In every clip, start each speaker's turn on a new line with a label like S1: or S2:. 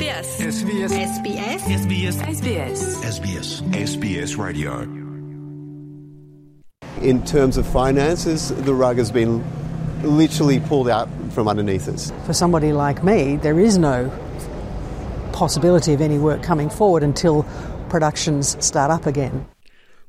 S1: SBS.
S2: SBS.
S1: SBS.
S2: SBS.
S1: SBS.
S2: SBS. SBS Radio.
S3: In terms of finances, the rug has been literally pulled out from underneath us.
S4: For somebody like me, there is no possibility of any work coming forward until productions start up again.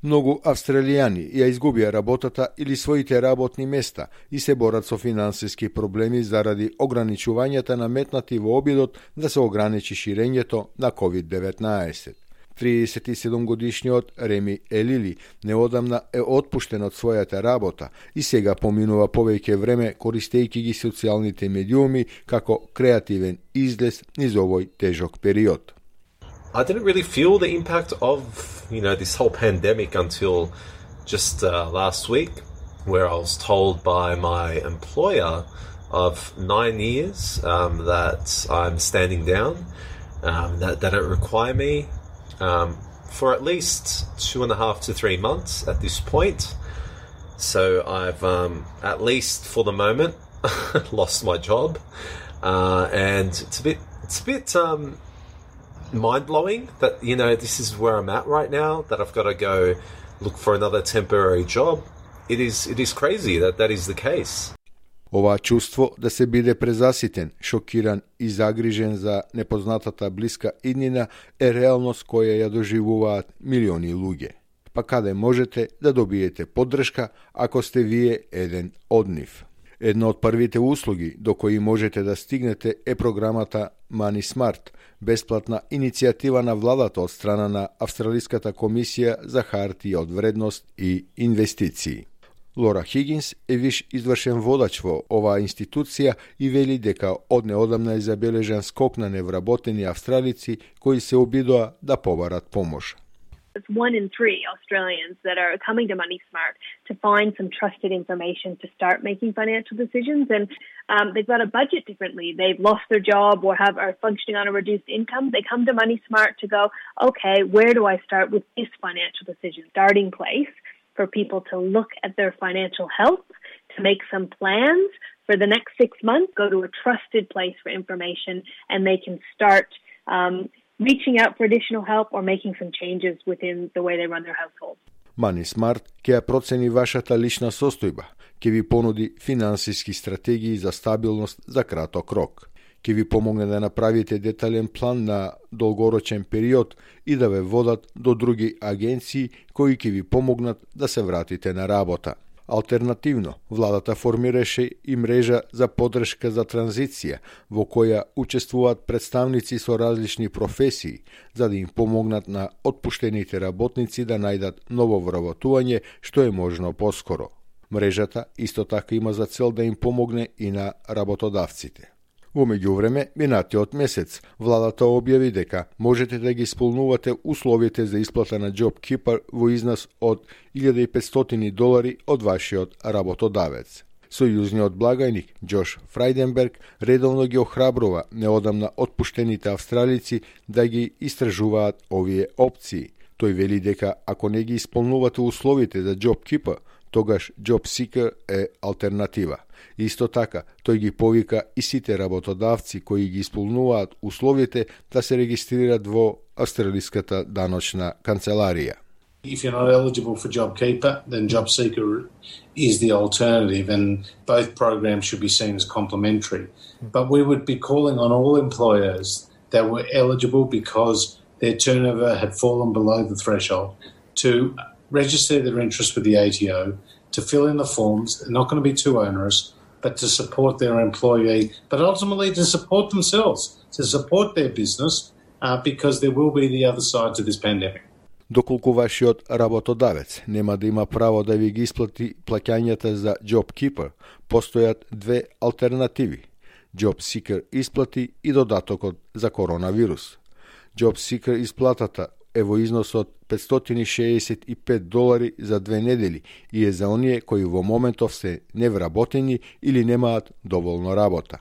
S5: Многу австралијани ја изгубија работата или своите работни места и се борат со финансиски проблеми заради ограничувањата наметнати во обидот да се ограничи ширењето на COVID-19. 37-годишниот Реми Елили неодамна е отпуштен од својата работа и сега поминува повеќе време користејќи ги социјалните медиуми како креативен излез низ овој тежок период.
S6: I didn't really feel the impact of, this whole pandemic until just last week, where I was told by my employer of 9 years that I'm standing down, that they don't require me for at least 2.5 to 3 months at this point. So I've, at least for the moment, lost my job, and it's a bit mind-blowing that, this is where I'm at right now, that I've got to go look for another temporary job. It is crazy that is the case.
S5: Ова чувство да се биде презаситен, шокиран и загрижен за непознатата блиска иднина е реалност која ја доживуваат милиони луѓе. Па каде можете да добиете поддршка ако сте вие еден од нив? Една од првите услуги до кои можете да стигнете е програмата Money Smart, бесплатна иницијатива на владата од страна на Австралиската комисија за хартии од вредност и инвестиции. Лора Хигинс е виш извршен водач во оваа институција и вели дека од неодамна е забележан скок на невработени австралици кои се обидоа да побарат помош.
S7: It's 1 in 3 Australians that are coming to Money Smart to find some trusted information to start making financial decisions, and they've got a budget differently. They've lost their job or are functioning on a reduced income. They come to Money Smart to go, okay, where do I start with this financial decision? Starting place for people to look at their financial health, to make some plans for the next 6 months, go to a trusted place for information, and they can start reaching out for additional help or making some changes within the way they run their household.
S5: Money Smart ќе ја процени вашата лична состојба, ќе ви понуди финансиски стратегии за стабилност за краток рок, ќе ви помогне да направите детален план на долгорочен период и да ве водат до други агенции кои ќе ви помогнат да се вратите на работа. Алтернативно, владата формираше и мрежа за поддршка за транзиција, во која учествуваат представници со различни професии, за да им помогнат на отпуштените работници да најдат ново вработување што е можно поскоро. Мрежата исто така има за цел да им помогне и на работодавците. Во меѓувреме, минатиот месец, владата објави дека можете да ги исполнувате условите за исплата на JobKeeper во износ од $1,500 од вашиот работодавец. Сојузниот благајник Джош Фрајденберг редовно ги охрабрува неодамна отпуштените австралици да ги истражуваат овие опции. Тој вели дека ако не ги исполнувате условите за JobKeeper, тогаш JobSeeker е алтернатива. Исто така, тој ги повика и сите работодавци кои ги исполнуваат условите да се регистрираат во Австралиската даночна канцеларија.
S8: If you're not eligible for JobKeeper, then JobSeeker is the alternative, and both programs should be seen as complementary. But we would be calling on all employers that were eligible because their turnover had fallen below the threshold to register their interest with the ATO, to fill in the forms. They're not going to be too onerous, but to support their employee, but ultimately to support themselves, to support their business, because there will be the other side to this pandemic.
S5: Доколку вашиот работодавец нема да има право да ви ги исплати плаќањата за JobKeeper, постојат две алтернативи: JobSeeker исплати и додатокот за коронавирус. JobSeeker исплатата е во износ од $565 за 2 недели и е за оние кои во моментов се невработени или немаат доволно работа.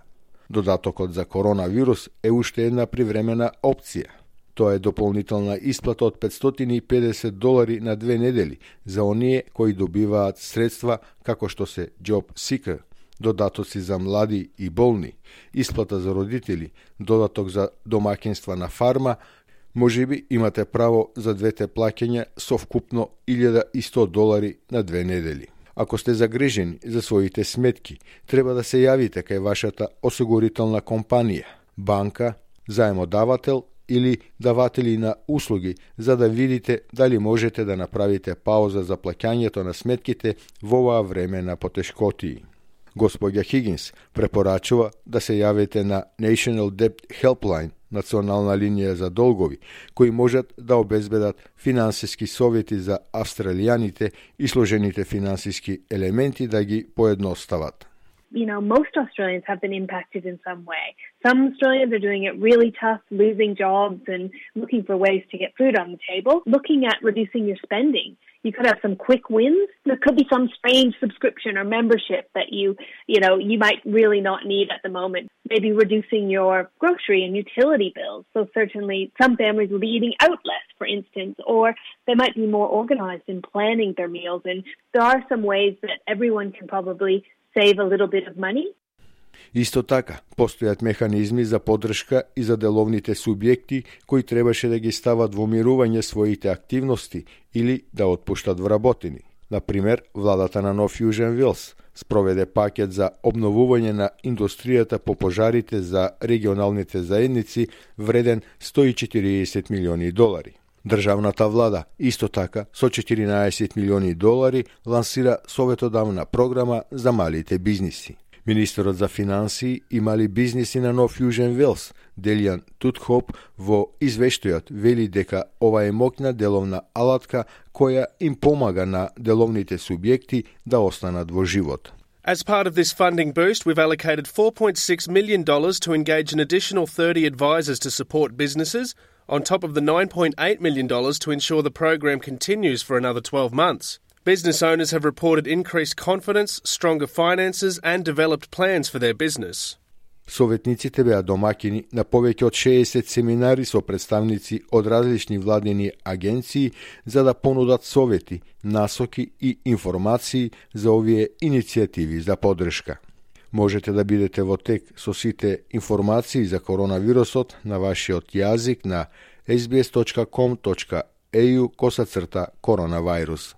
S5: Додатокот за коронавирус е уште една привремена опција. Тоа е дополнителна исплата од $550 на 2 недели за оние кои добиваат средства како што се JobSeeker додатоци за млади и болни, исплата за родители, додаток за домаќинства на фарма, можеби имате право за двете плаќања со вкупно $1,100 на 2 недели. Ако сте загрижени за своите сметки, треба да се јавите кај вашата осигурителна компанија, банка, заемодавател или даватели на услуги, за да видите дали можете да направите пауза за плаќањето на сметките во оваа време на потешкотии. Господја Хигинс препорачува да се јавите на National Debt Helpline, национална линија за долгови, кои можат да обезбедат финансиски совети за австралијаните и сложените финансиски елементи да ги поедностават.
S7: You know, most Australians have been impacted in some way. Some Australians are doing it really tough, losing jobs and looking for ways to get food on the table. Looking at reducing your spending. You could have some quick wins. There could be some strange subscription or membership that you might really not need at the moment. Maybe reducing your grocery and utility bills. So certainly some families will be eating out less, for instance, or they might be more organized in planning their meals. And there are some ways that everyone can probably save a little bit of money.
S5: Исто така, постојат механизми за поддршка и за деловните субјекти кои требаше да ги стават во мирување своите активности или да отпуштат вработени. Например, владата на Нов Јужен Велс спроведе пакет за обновување на индустријата по пожарите за регионалните заедници вреден $140 милиони. Државната влада исто така со $14 милиони лансира советодавна програма за малите бизниси. Министерот за финансии и мали бизниси на Нов Јужен Велс, Делијан Тутхоп, во извештајот вели дека ова е моќна деловна алатка која им помага на деловните субјекти да останат во живот.
S1: As part of this funding boost, we've allocated $4.6 million to engage an additional 30 advisors to support businesses, on top of the $9.8 million to ensure the program continues for another 12 months. Business owners have reported increased confidence, stronger finances and developed plans for their business.
S5: Советниците беа домаќини на повеќе од 60 семинари со представници од различни владени агенции за да понудат совети, насоки и информации за овие иницијативи за поддршка. Можете да бидете во тек со сите информации за коронавирусот на вашиот јазик на sbs.com.au/коронавирус.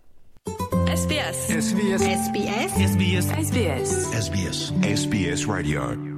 S2: SBS. SBS. SBS. SBS. SBS. SBS. SBS Radio.